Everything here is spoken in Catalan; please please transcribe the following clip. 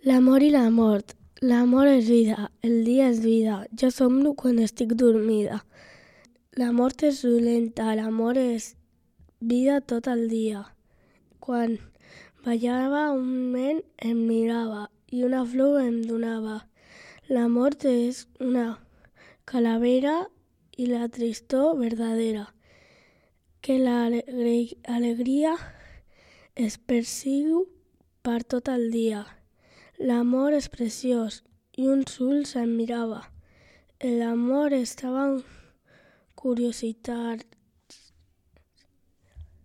L'amor i la mort. L'amor és vida, el dia és vida. Jo somno quan estic dormida. La mort és dolenta, l'amor és vida tot el dia. Quan ballava un nen em mirava i una flor em donava. La mort és una calavera i la tristor verdadera. Que l'alegria es persigu per tot el dia. L'amor és preciós i uns ulls em mirava. L'amor estava en curiositat